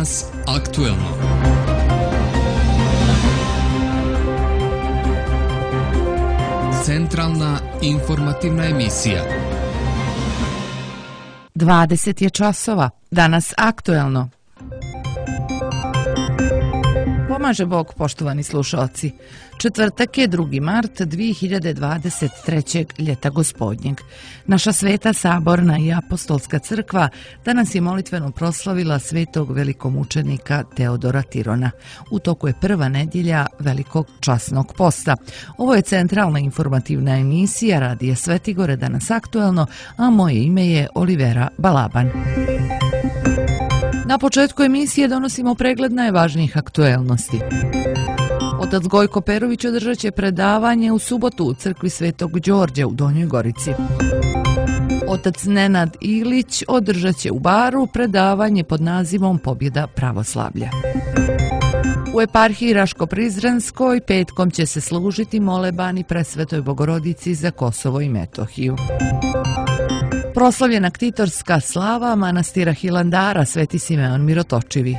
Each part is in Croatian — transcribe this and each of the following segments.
Danas aktuelno. Centralna informativna emisija. 20 je časova. Danas aktuelno. Pomaže Bog, poštovani slušalci. Četvrtak je 2. mart 2023. ljeta gospodnjeg. Naša sveta saborna i apostolska crkva danas je molitveno proslavila svetog velikomučenika Teodora Tirona. U toku je prva nedjelja velikog časnog posta. Ovo je centralna informativna emisija Radija Svetigore, danas aktuelno, a moje ime je Olivera Balaban. Na početku emisije donosimo pregled najvažnijih aktuelnosti. Otac Gojko Perović održat će predavanje u subotu u crkvi Svetog Đorđa u Donjoj Gorici. Otac Nenad Ilić održat će u Baru predavanje pod nazivom Pobjeda pravoslavlja. U eparhiji Raško-Prizrenskoj petkom će se služiti molebani Presvetoj Bogorodici za Kosovo i Metohiju. Proslavljena ktitorska slava manastira Hilandara Sveti Simeon Mirotočivi.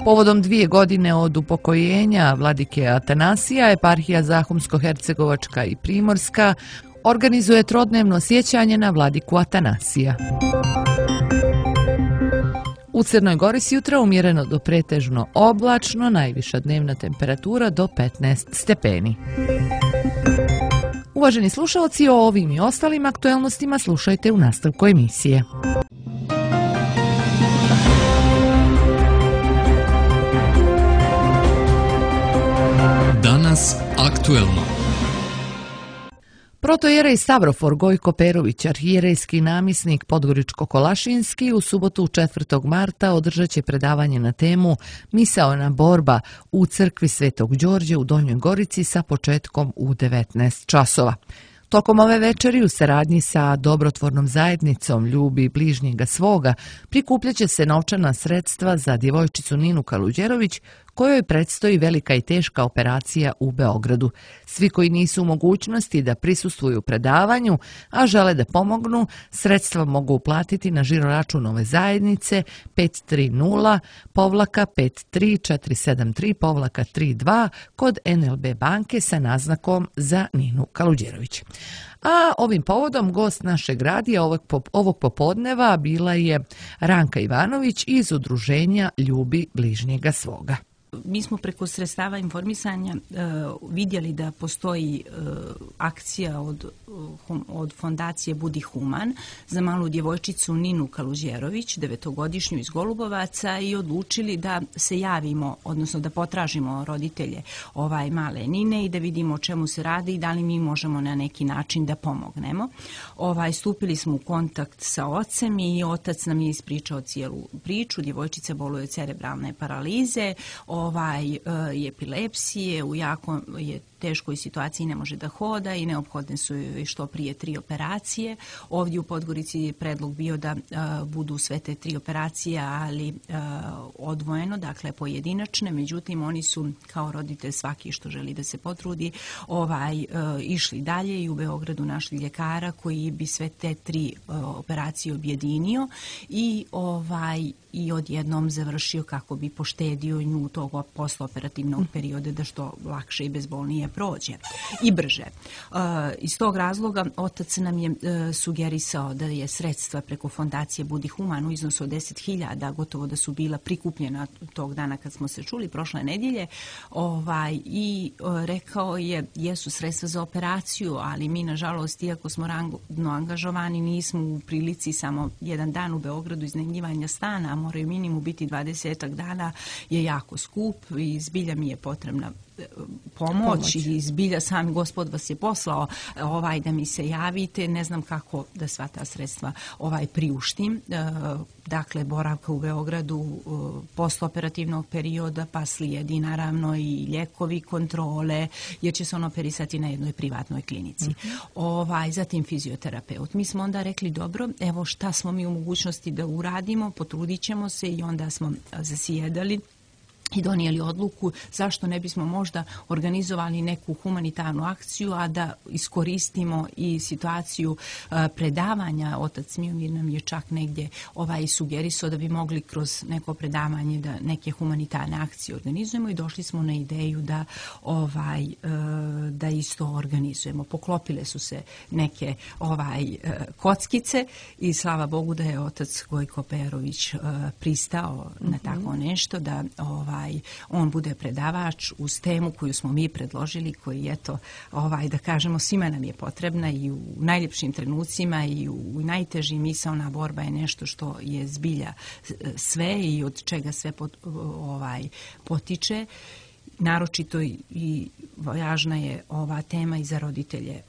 Povodom 2 godine od upokojenja vladike Atanasija, eparhija Zahumsko-Hercegovačka i Primorska organizuje trodnevno sjećanje na vladiku Atanasija. U Crnoj Gori sjutra umjereno do pretežno oblačno, najviša dnevna temperatura do 15 stepeni. Uvaženi slušalci, o ovim i ostalim aktuelnostima slušajte u nastavku emisije. Danas aktuelno. Protojerej Stavrofor Gojko Perović, arhijerejski namjesnik Podgoričko-Kolašinski, u subotu 4. marta održat će predavanje na temu Misaona borba u crkvi Svetog Đorđa u Donjoj Gorici sa početkom u 19 časova. Tokom ove večeri u saradnji sa dobrotvornom zajednicom Ljubi bližnjega svoga prikupljat će se novčana sredstva za djevojčicu Ninu Kaluđerović, kojoj predstoji velika i teška operacija u Beogradu. Svi koji nisu u mogućnosti da prisustvuju predavanju, a žele da pomognu, sredstva mogu uplatiti na žiroračun ove zajednice 530-53473-32 kod NLB banke sa naznakom za Ninu Kaluđerović. A ovim povodom gost našeg radija ovog popodneva bila je Ranka Ivanović iz udruženja Ljubi bližnjega svoga. Mi smo preko sredstava informisanja vidjeli da postoji akcija od fondacije Budi Human za malu djevojčicu Ninu Kaluđerović, 9-godišnju iz Golubovaca, i odlučili da se javimo, odnosno da potražimo roditelje male Nine i da vidimo o čemu se radi i da li mi možemo na neki način da pomognemo. Stupili smo u kontakt sa ocem i otac nam je ispričao cijelu priču. Djevojčica boluje od cerebralne paralize, i epilepsije, u jako je teškoj situaciji, ne može da hoda i neophodne su joj što prije 3 operacije. Ovdje u Podgorici je predlog bio da budu sve te 3 operacije, ali odvojeno, dakle pojedinačne. Međutim, oni su kao roditelj svaki što želi da se potrudi išli dalje i u Beogradu našli ljekara koji bi sve te 3 operacije objedinio i odjednom završio kako bi poštedio nju tog postoperativnog perioda da što lakše i bezbolnije prođe i brže. Iz tog razloga otac nam je sugerisao da je sredstva preko fondacije Budi Human u iznosu od 10.000, gotovo da su bila prikupljena tog dana kad smo se čuli prošle nedjelje, i rekao je jesu sredstva za operaciju, ali mi nažalost, iako smo radno angažovani, nismo u prilici samo jedan dan u Beogradu iznajmljivanja stana, a moraju minimum biti 20 dana, je jako skup i zbilja mi je potrebna pomoć i zbilja sam Gospod vas je poslao da mi se javite, ne znam kako da sva ta sredstva priuštim. Dakle, boravka u Beogradu postoperativnog perioda, pa slijedi naravno i lijekovi, kontrole, jer će se on operisati na jednoj privatnoj klinici. Zatim fizioterapeut. Mi smo onda rekli, dobro, evo šta smo mi u mogućnosti da uradimo, potrudit ćemo se, i onda smo zasjedali i donijeli odluku zašto ne bismo možda organizovali neku humanitarnu akciju, a da iskoristimo i situaciju predavanja. Otac Miomir nam je čak negdje sugerisao da bi mogli kroz neko predavanje da neke humanitarne akcije organizujemo i došli smo na ideju da isto organizujemo. Poklopile su se neke kockice i slava Bogu da je otac Gojko Perović pristao na tako nešto, da on bude predavač uz temu koju smo mi predložili, koji eto, da kažemo, svima nam je potrebna i u najljepšim trenucima i u najtežim. Misaona borba je nešto što je zbilja sve i od čega sve potiče. Naročito i važna je ova tema i za roditelje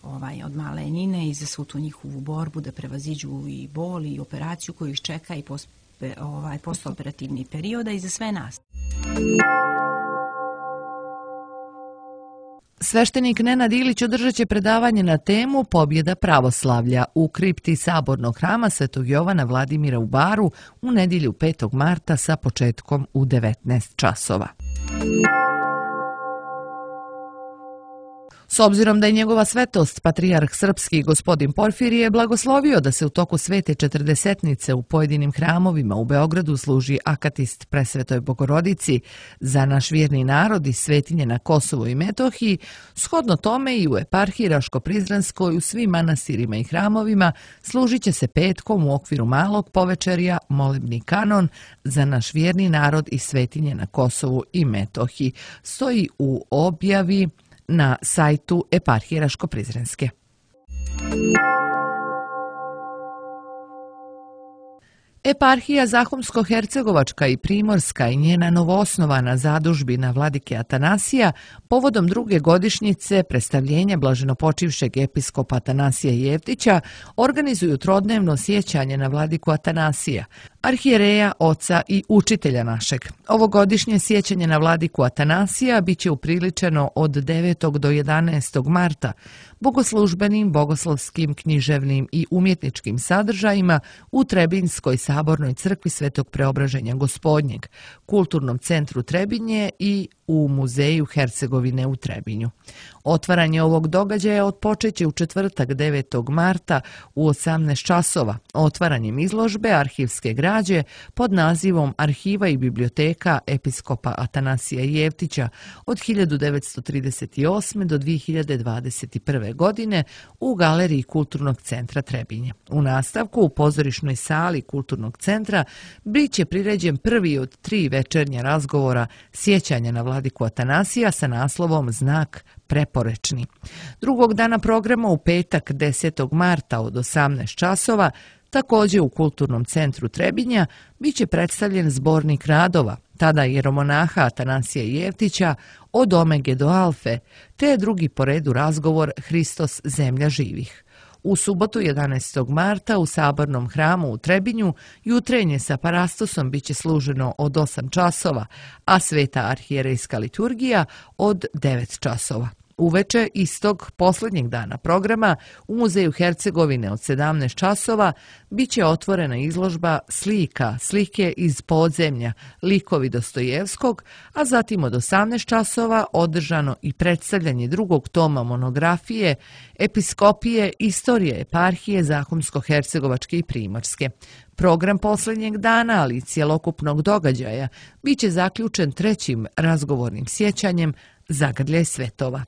od male Nine i za svu tu njihovu borbu da prevaziđu i bol i operaciju koju ih čeka i postoperativni perioda i za sve nas. Sveštenik Nenad Ilić održat će predavanje na temu Pobjeda pravoslavlja u kripti Sabornog hrama Svetog Jovana Vladimira u Baru u nedjelju 5. marta sa početkom u 19 časova. S obzirom da je njegova svetost, patrijarh srpski gospodin Porfirije, blagoslovio da se u toku svete četrdesetnice u pojedinim hramovima u Beogradu služi akatist Presvetoj Bogorodici za naš vjerni narod i svetinje na Kosovu i Metohiji, shodno tome i u eparhiji Raško-Prizrenskoj u svim manastirima i hramovima služit će se petkom u okviru malog povečerja molebni kanon za naš vjerni narod i svetinje na Kosovu i Metohiji. Stoji u objavi na sajtu eparhije Raško-Prizrenske. Eparhija Zahumsko-Hercegovačka i Primorska i njena novoosnovana zadužbina vladike Atanasija povodom druge godišnjice predstavljenja blaženopočivšeg episkopa Atanasija Jeftića organizuju trodnevno sjećanje na vladiku Atanasija, arhijereja, oca i učitelja našeg. Ovogodišnje sjećanje na vladiku Atanasija biće upriličeno od 9. do 11. marta bogoslužbenim, bogoslovskim, književnim i umjetničkim sadržajima u Trebinjskoj sabornoj crkvi Svetog Preobraženja Gospodnjeg, Kulturnom centru Trebinje i u Muzeju Hercegovine u Trebinju. Otvaranje ovog događaja otpočeće u četvrtak 9. marta u 18 časova otvaranjem izložbe arhivske građe pod nazivom Arhiva i biblioteka episkopa Atanasija Jeftića od 1938. do 2021. godine u Galeriji Kulturnog centra Trebinje. U nastavku u pozorišnoj sali Kulturnog centra biće priređen prvi od 3 večernja razgovora sjećanja na vladiku Atanasija sa naslovom Znak preporečni. Drugog dana programa u petak 10. marta od 18 časova također u Kulturnom centru Trebinja biće predstavljen zbornik radova, tada jeromonaha Atanasija Jeftića od Omege do Alfe, te drugi po redu razgovor Hristos zemlja živih. U subotu 11. marta u Sabornom hramu u Trebinju jutrenje sa parastosom biće služeno od 8 časova, a sveta arhijerejska liturgija od 9 časova. Uveče istog posljednjeg dana programa u Muzeju Hercegovine od 17 časova biće otvorena izložba slike iz podzemlja, likovi Dostojevskog, a zatim od 18 časova održano i predstavljanje drugog toma monografije Episkopije istorije eparhije Zahumsko-Hercegovačke i Primorske. Program posljednjeg dana, ali i cjelokupnog događaja, biće zaključen trećim razgovornim sjećanjem Zagrljaj svetova.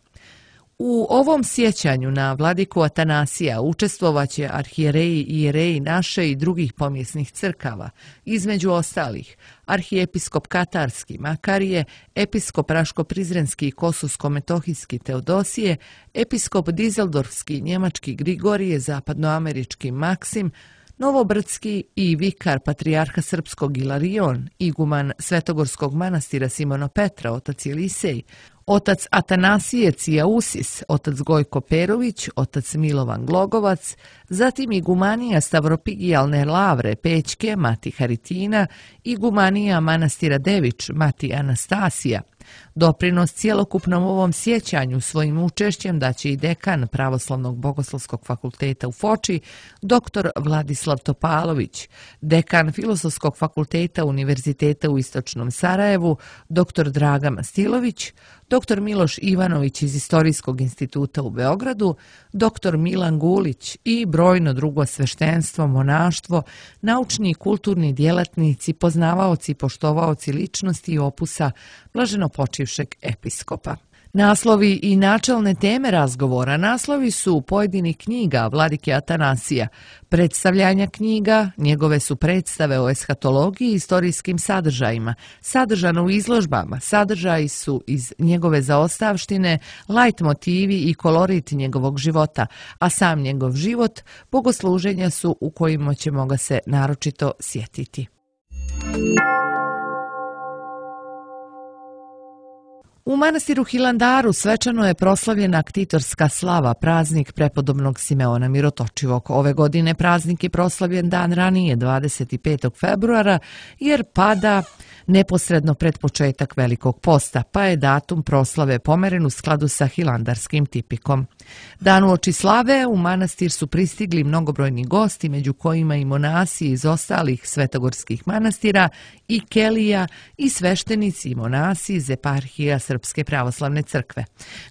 U ovom sjećanju na vladiku Atanasija učestvovaće arhijereji i jereji naše i drugih pomjesnih crkava, između ostalih arhijepiskop Katarski Makarije, episkop Raško-Prizrenski i Kosusko-Metohijski Teodosije, episkop Dizeldorfski Njemački Grigorije, zapadnoamerički Maksim, Novobrdski i vikar patrijarha srpskog Ilarion, iguman Svetogorskog manastira Simona Petra, otac Jelisej, Otac Atanasije Cijausis, otac Gojko Perović, otac Milovan Glogovac, zatim igumanija Stavropigijalne lavre Pećke, mati Haritina, igumanija manastira Dević, mati Anastasija. Doprinos cjelokupnom ovom sjećanju svojim učešćem daće i dekan Pravoslavnog bogoslovskog fakulteta u Foči, dr. Vladislav Topalović, dekan Filozofskog fakulteta Univerziteta u Istočnom Sarajevu, dr. Draga Mastilović, dr. Miloš Ivanović iz Istorijskog instituta u Beogradu, dr. Milan Gulić i brojno drugo sveštenstvo, monaštvo, naučni i kulturni djelatnici, poznavaoci i poštovaoci ličnosti i opusa blaženopočivšeg episkopa. Naslovi i načelne teme razgovora naslovi su pojedinih knjiga vladike Atanasija, predstavljanja knjiga, njegove su predstave o eshatologiji i istorijskim sadržajima, sadržano u izložbama, sadržaji su iz njegove zaostavštine, lajt motivi i kolorit njegovog života, a sam njegov život bogosluženja su u kojima ćemo ga se naročito sjetiti. U manastiru Hilandaru svečano je proslavljena ktitorska slava, praznik prepodobnog Simeona Mirotočivog. Ove godine praznik je proslavljen dan ranije, 25. februara, jer pada neposredno pred početak Velikog posta, pa je datum proslave pomeren u skladu sa hilandarskim tipikom. Dan uoči slave u manastir su pristigli mnogobrojni gosti, među kojima i monasi iz ostalih svetogorskih manastira i kelija i sveštenici i monasi iz eparhija Srpske pravoslavne crkve.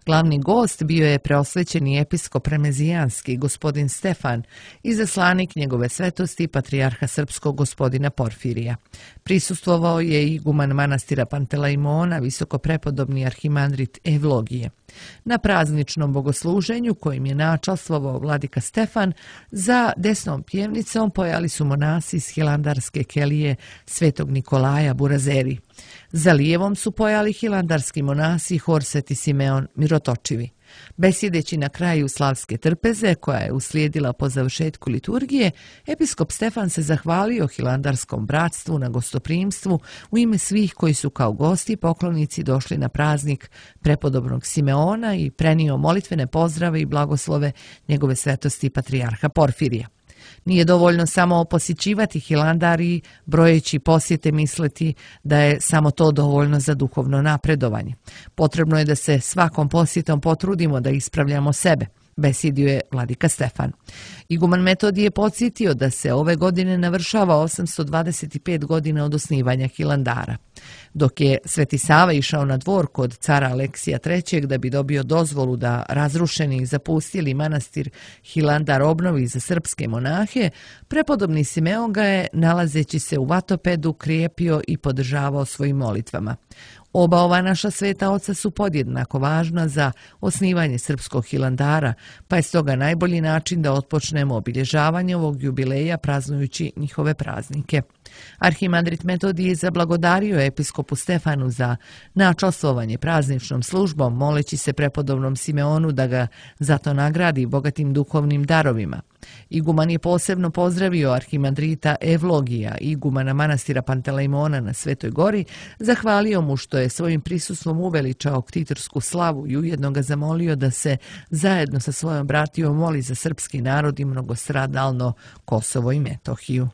Glavni gost bio je preosvećeni episkop remezijanski gospodin Stefan, izaslanik njegove svetosti patrijarha srpskog gospodina Porfirija. Prisustvovao je i iguman manastira Pantelejmona, visoko prepodobni arhimandrit Evlogije. Na prazničnom bogosluženju kojim je načastvovao vladika Stefan, za desnom pjevnicom pojali su monasi iz hilandarske kelije svetog Nikolaja Burazeri. Za lijevom su pojali hilandarski monasi hor Sveti Simeon Mirotočivi. Besjedeći na kraju slavske trpeze, koja je uslijedila po završetku liturgije, episkop Stefan se zahvalio hilandarskom bratstvu na gostoprimstvu u ime svih koji su kao gosti i poklonici došli na praznik prepodobnog Simeona i prenio molitvene pozdrave i blagoslove njegove svetosti patrijarha Porfirija. Nije dovoljno samo posjećivati Hilandar i brojeći posjete misliti da je samo to dovoljno za duhovno napredovanje. Potrebno je da se svakom posjetom potrudimo da ispravljamo sebe, besjedio je vladika Stefan. Iguman Metodij je podsjetio da se ove godine navršava 825 godina od osnivanja Hilandara. Dok je Sveti Sava išao na dvor kod cara Aleksija III da bi dobio dozvolu da razrušeni i zapustili manastir Hilandar obnovi za srpske monahe, prepodobni Simeon ga je, nalazeći se u Vatopedu, krijepio i podržavao svojim molitvama. Oba ova naša sveta oca su podjednako važna za osnivanje srpskog Hilandara, pa je stoga najbolji način da otpočnemo obilježavanje ovog jubileja praznujući njihove praznike. Arhimandrit Metodij je zablagodario episkopu Stefanu za načastvovanje prazničnom službom, moleći se prepodobnom Simeonu da ga zato nagradi bogatim duhovnim darovima. Iguman je posebno pozdravio arhimandrita Evlogija, igumana manastira Pantelejmona na Svetoj gori, zahvalio mu što je svojim prisustvom uveličao ktitorsku slavu i ujedno ga zamolio da se zajedno sa svojom bratijom moli za srpski narod i mnogostradalno Kosovo i Metohiju.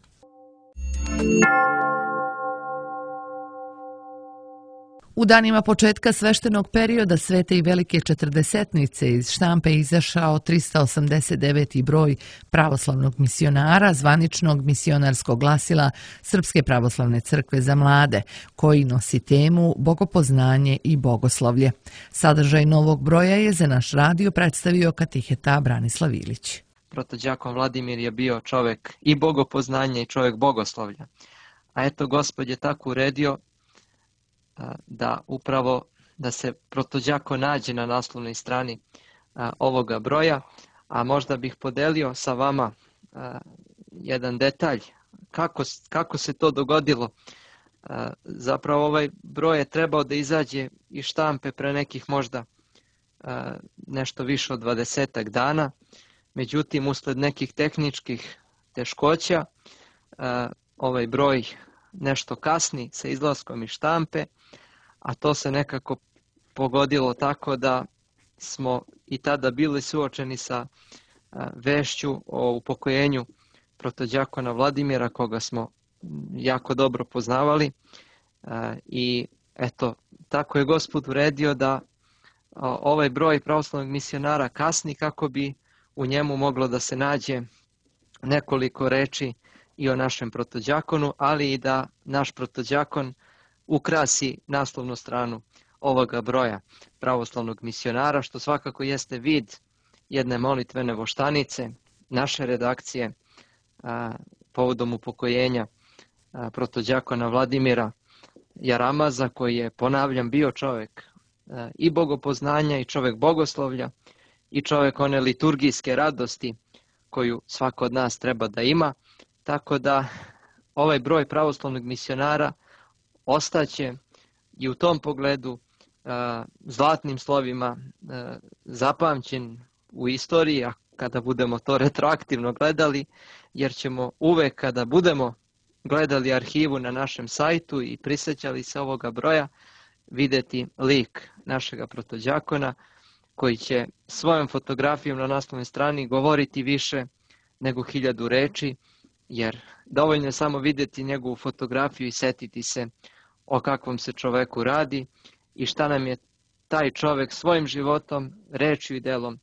U danima početka sveštenog perioda Svete i Velike četrdesetnice iz štampe izašao 389. broj pravoslavnog misionara, zvaničnog misionarskog glasila Srpske pravoslavne crkve za mlade, koji nosi temu Bogopoznanje i bogoslovlje. Sadržaj novog broja je za naš radio predstavio katiheta Branislav Ilić. Protođakon Vladimir je bio čovjek i bogopoznanja i čovjek bogoslovlja. A eto, Gospod je tako uredio da upravo da se protođako nađe na naslovnoj strani ovoga broja, a možda bih podelio sa vama jedan detalj kako se to dogodilo. Zapravo ovaj broj je trebao da izađe iz štampe pre nekih možda nešto više od 20 dana, međutim usled nekih tehničkih teškoća ovaj broj nešto kasni sa izlaskom iz štampe, a to se nekako pogodilo tako da smo i tada bili suočeni sa vešću o upokojenju protodjakona Vladimira, koga smo jako dobro poznavali. I eto, tako je Gospod uredio da ovaj broj pravoslavnog misionara kasni kako bi u njemu moglo da se nađe nekoliko reči i o našem protodjakonu, ali i da naš protodjakon ukrasi naslovnu stranu ovoga broja pravoslavnog misionara, što svakako jeste vid jedne molitvene voštanice naše redakcije povodom upokojenja protodjakona Vladimira Jaramaza, koji je, ponavljam, bio čovjek i bogopoznanja i čovjek bogoslovlja i čovjek one liturgijske radosti koju svako od nas treba da ima. Tako da ovaj broj pravoslavnog misionara ostaće i u tom pogledu zlatnim slovima zapamćen u istoriji, a kada budemo to retroaktivno gledali, jer ćemo uvek kada budemo gledali arhivu na našem sajtu i prisjećali se ovoga broja, vidjeti lik našega protodjakona koji će svojom fotografijom na naslovnoj strani govoriti više nego 1000 reči, jer dovoljno je samo vidjeti njegovu fotografiju i setiti se o kakvom se čoveku radi i šta nam je taj čovek svojim životom, rečju i delom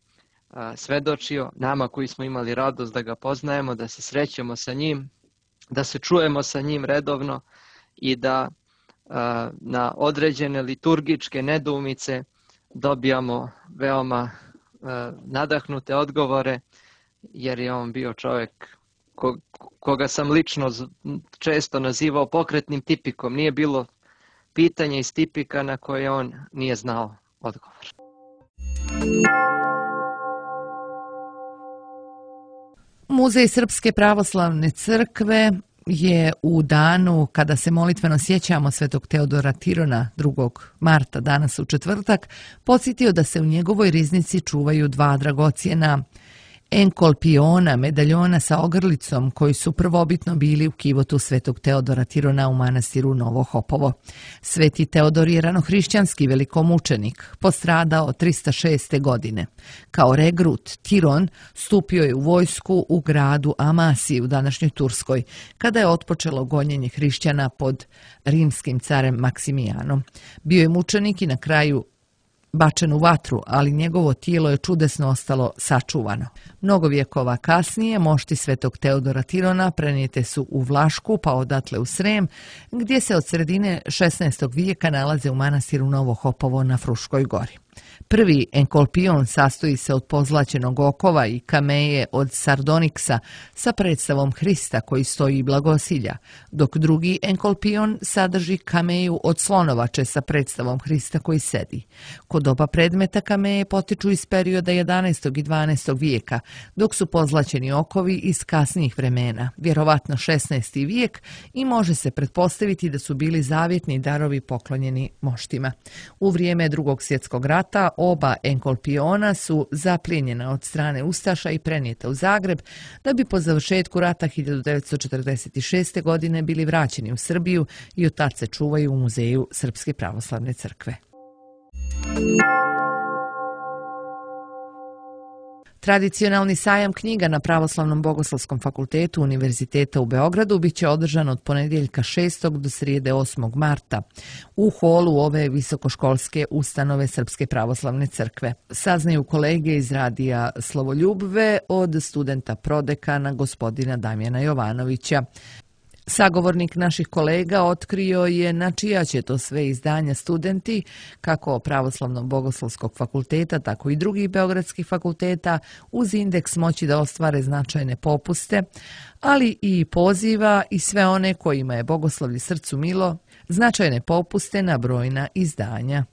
svedočio, nama koji smo imali radost da ga poznajemo, da se srećemo sa njim, da se čujemo sa njim redovno i da na određene liturgičke nedoumice dobijamo veoma nadahnute odgovore, jer je on bio čovjek koga sam lično često nazivao pokretnim tipikom. Nije bilo pitanja iz tipika na koje on nije znao odgovor. Muzej Srpske pravoslavne crkve je u danu kada se molitveno sjećamo svetog Teodora Tirona 2. marta, danas u četvrtak, podsjetio da se u njegovoj riznici čuvaju 2 dragocjena enkolpiona, medaljona sa ogrlicom, koji su prvobitno bili u kivotu svetog Teodora Tirona u manastiru Novo Hopovo. Sveti Teodor je ranohrišćanski velikomučenik, postradao 306. godine. Kao regrut, Tiron stupio je u vojsku u gradu Amasiji u današnjoj Turskoj, kada je otpočelo gonjenje hrišćana pod rimskim carem Maksimijanom. Bio je mučenik i na kraju bačen u vatru, ali njegovo tijelo je čudesno ostalo sačuvano. Mnogo vjekova kasnije mošti svetog Teodora Tirona prenijete su u Vlašku, pa odatle u Srem, gdje se od sredine 16. vijeka nalaze u manastiru Novo Hopovo na Fruškoj gori. Prvi enkolpion sastoji se od pozlaćenog okova i kameje od sardoniksa sa predstavom Hrista koji stoji i blagosilja, dok drugi enkolpion sadrži kameju od slonovače sa predstavom Hrista koji sedi. Kod oba predmeta kameje potiču iz perioda 11. i 12. vijeka, dok su pozlaćeni okovi iz kasnijih vremena, vjerovatno 16. vijek, i može se pretpostaviti da su bili zavjetni darovi poklonjeni moštima. U vrijeme Drugog svjetskog rata oba enkolpiona su zaplijenjena od strane ustaša i prenijeta u Zagreb, da bi po završetku rata 1946. godine bili vraćeni u Srbiju i od tad se čuvaju u Muzeju Srpske pravoslavne crkve. Tradicionalni sajam knjiga na Pravoslavnom bogoslovskom fakultetu Univerziteta u Beogradu biće održan od ponedjeljka 6. do srijede 8. marta u holu ove visokoškolske ustanove Srpske pravoslavne crkve. Saznaju kolege iz radija Slovoljubve od studenta prodekana gospodina Damjana Jovanovića. Sagovornik naših kolega otkrio je na čija će to sve izdanja studenti, kako Pravoslavnog bogoslovskog fakulteta, tako i drugih beogradskih fakulteta, uz indeks moći da ostvare značajne popuste, ali i poziva i sve one kojima je bogoslovlje srcu milo, značajne popuste na brojna izdanja.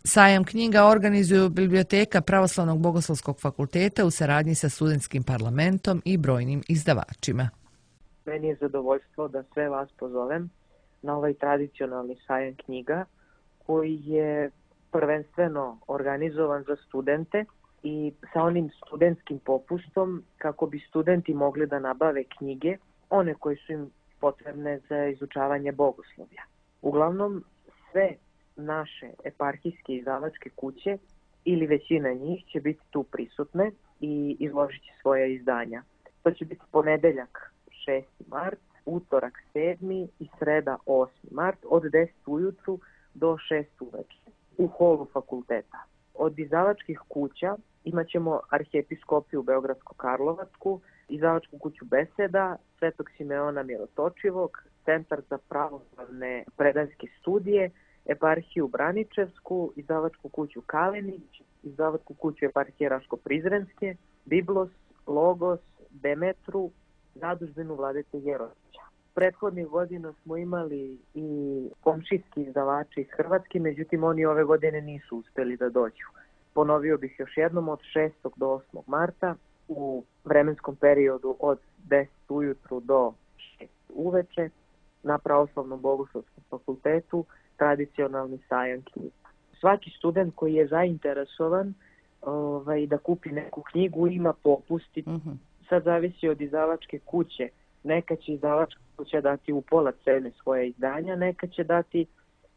Sajam knjiga organizuju Biblioteka Pravoslavnog bogoslovskog fakulteta u saradnji sa studentskim parlamentom i brojnim izdavačima. Meni je zadovoljstvo da sve vas pozovem na ovaj tradicionalni sajam knjiga koji je prvenstveno organizovan za studente i sa onim studentskim popustom kako bi studenti mogli da nabave knjige, one koje su im potrebne za izučavanje bogoslovlja. Uglavnom sve naše eparhijske izdavačke kuće ili većina njih će biti tu prisutne i izložit će svoja izdanja. To će biti ponedeljak 6. mart, utorak 7. i sreda 8. mart od 10 ujutru do 6 uveče u holu fakulteta. Od izdavačkih kuća imat ćemo Arhijepiskopiju Beogradsko-Karlovačku, izdavačku kuću Beseda, Svetog Simeona Mirotočivog, Centar za pravoslavne predanske studije, Eparhiju Braničevsku, izdavačku kuću Kalenić, izdavačku kuću Eparhije Raško-Prizrenske, Biblos, Logos, Demetru, zadužbinu Vladete Jerovića. Prethodnih godina smo imali i komšijski izdavači iz Hrvatske, međutim oni ove godine nisu uspeli da dođu. Ponovio bih još jednom, od 6. do 8. marta u vremenskom periodu od 10 ujutru do 6 uveče na Pravoslavnom bogoslovskom fakultetu tradicionalni sajam knjiga. Svaki student koji je zainteresovan da kupi neku knjigu ima popusti. Sad zavisi od izdavačke kuće. Neka će izdavačka kuća dati u pola cene svoje izdanja, neka će dati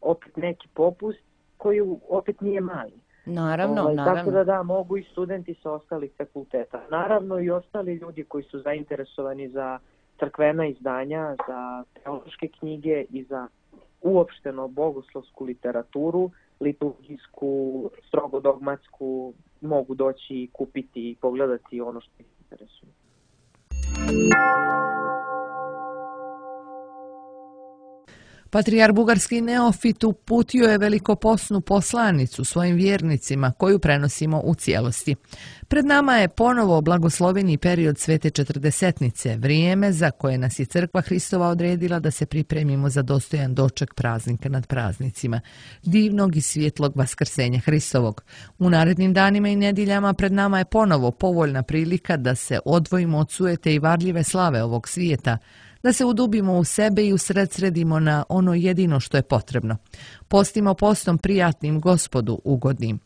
opet neki popust koji opet nije mali. Naravno. Tako da mogu i studenti sa ostalih fakulteta. Naravno i ostali ljudi koji su zainteresovani za crkvena izdanja, za teološke knjige i za uopšteno bogoslovsku literaturu, liturgijsku, strogo dogmatsku, mogu doći i kupiti i pogledati ono što ih interesuje. Patrijarh bugarski Neofit uputio je velikoposnu poslanicu svojim vjernicima koju prenosimo u cijelosti. Pred nama je ponovo blagosloveni period Svete Četrdesetnice, vrijeme za koje nas je Crkva Hristova odredila da se pripremimo za dostojan doček praznika nad praznicima, divnog i svjetlog vaskrsenja Hristovog. U narednim danima i nedjeljama pred nama je ponovo povoljna prilika da se odvojimo od sujete i varljive slave ovog svijeta, da se udubimo u sebe i usredsredimo na ono jedino što je potrebno. Postimo postom prijatnim Gospodu ugodnim.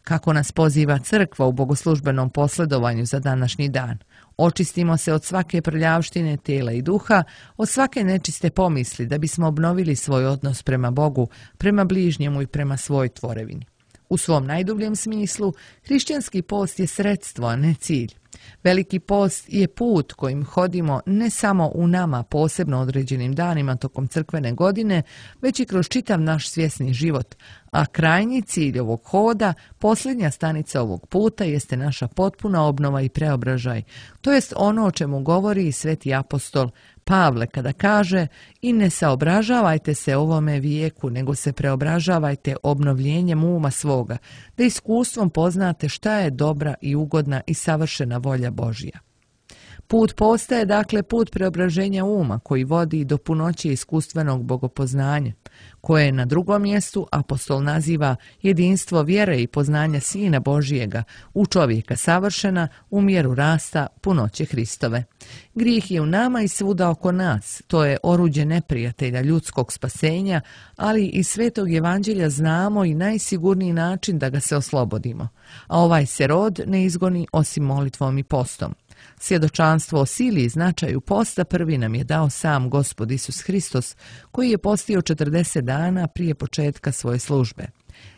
Kako nas poziva Crkva u bogoslužbenom posledovanju za današnji dan. Očistimo se od svake prljavštine tijela i duha, od svake nečiste pomisli da bismo obnovili svoj odnos prema Bogu, prema bližnjemu i prema svoj tvorevini. U svom najdubljem smislu, hrišćanski post je sredstvo, a ne cilj. Veliki post je put kojim hodimo ne samo u nama posebno određenim danima tokom crkvene godine, već i kroz čitav naš svjesni život, a krajnji cilj ovog hoda, posljednja stanica ovog puta, jeste naša potpuna obnova i preobražaj, to jest ono o čemu govori i sveti apostol Pavle kada kaže: i ne saobražavajte se ovome vijeku, nego se preobražavajte obnovljenjem uma svoga, da iskustvom poznate šta je dobra i ugodna i savršena volja Božja. Put posta je dakle put preobraženja uma koji vodi do punoće iskustvenog bogopoznanja, koje na drugom mjestu apostol naziva jedinstvo vjere i poznanja Sina Božijega, u čovjeka savršena, u mjeru rasta punoće Hristove. Grijeh je u nama i svuda oko nas, to je oruđe neprijatelja ljudskog spasenja, ali iz Svetog Evanđelja znamo i najsigurniji način da ga se oslobodimo, a ovaj se rod ne izgoni osim molitvom i postom. Svjedočanstvo o sili i značaju posta prvi nam je dao sam Gospod Isus Hristos, koji je postio 40 dana prije početka svoje službe.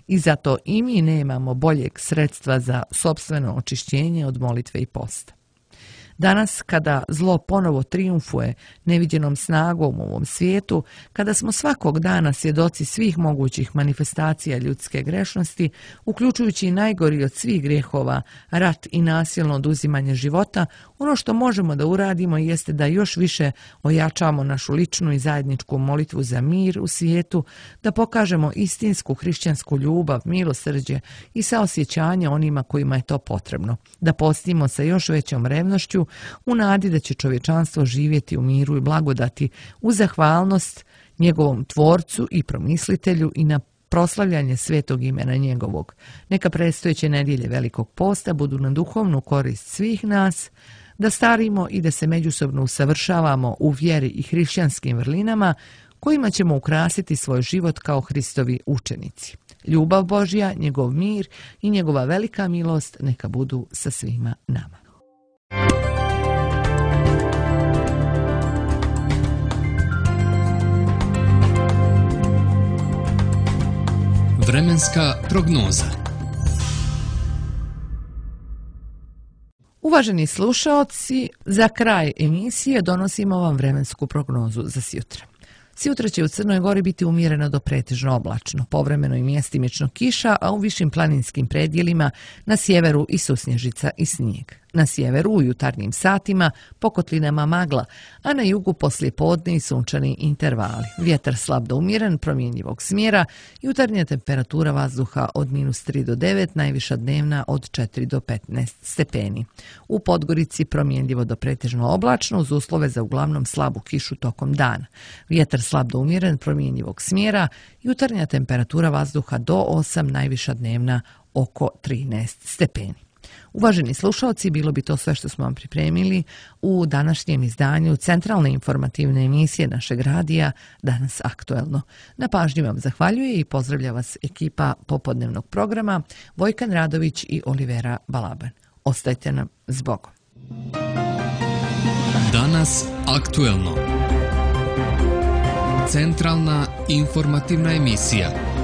I zato i mi nemamo boljeg sredstva za sopstveno očišćenje od molitve i posta. Danas, kada zlo ponovo trijumfuje neviđenom snagom u ovom svijetu, kada smo svakog dana svjedoci svih mogućih manifestacija ljudske grešnosti, uključujući i najgori od svih grijehova, rat i nasilno oduzimanje života, ono što možemo da uradimo jeste da još više ojačamo našu ličnu i zajedničku molitvu za mir u svijetu, da pokažemo istinsku hrišćansku ljubav, milosrđe i saosjećanje onima kojima je to potrebno, da postimo sa još većom revnošću u nadi da će čovječanstvo živjeti u miru i blagodati u zahvalnost njegovom tvorcu i promislitelju i na proslavljanje svetog imena njegovog. Neka predstojeće nedjelje Velikog posta budu na duhovnu korist svih nas, da starimo i da se međusobno usavršavamo u vjeri i hrišćanskim vrlinama kojima ćemo ukrasiti svoj život kao Hristovi učenici. Ljubav Božja, njegov mir i njegova velika milost neka budu sa svima nama. Vremenska prognoza. Uvaženi slušaoci, za kraj emisije donosimo vam vremensku prognozu za sjutra. Sjutra će u Crnoj Gori biti umjereno do pretežno oblačno, povremeno i mjestimično kiša, a u višim planinskim predjelima na sjeveru i susnježica i snijeg. Na sjeveru u jutarnjim satima po kotlinama magla, a na jugu poslijepodne i sunčani intervali. Vjetar slab do umjeren, promjenjivog smjera, jutarnja temperatura vazduha od -3 do 9, najviša dnevna od 4 do 15 stepeni. U Podgorici promjenjivo do pretežno oblačno uz uslove za uglavnom slabu kišu tokom dana. Vjetar slab do umjeren, promjenjivog smjera, jutarnja temperatura vazduha do 8, najviša dnevna oko 13 stepeni. Uvaženi slušalci, bilo bi to sve što smo vam pripremili u današnjem izdanju centralne informativne emisije našeg radija Danas aktuelno. Na pažnji vam zahvaljuje i pozdravlja vas ekipa popodnevnog programa Vojkan Radović i Olivera Balaban. Ostajte nam s Bogom. Danas aktuelno. Centralna informativna emisija.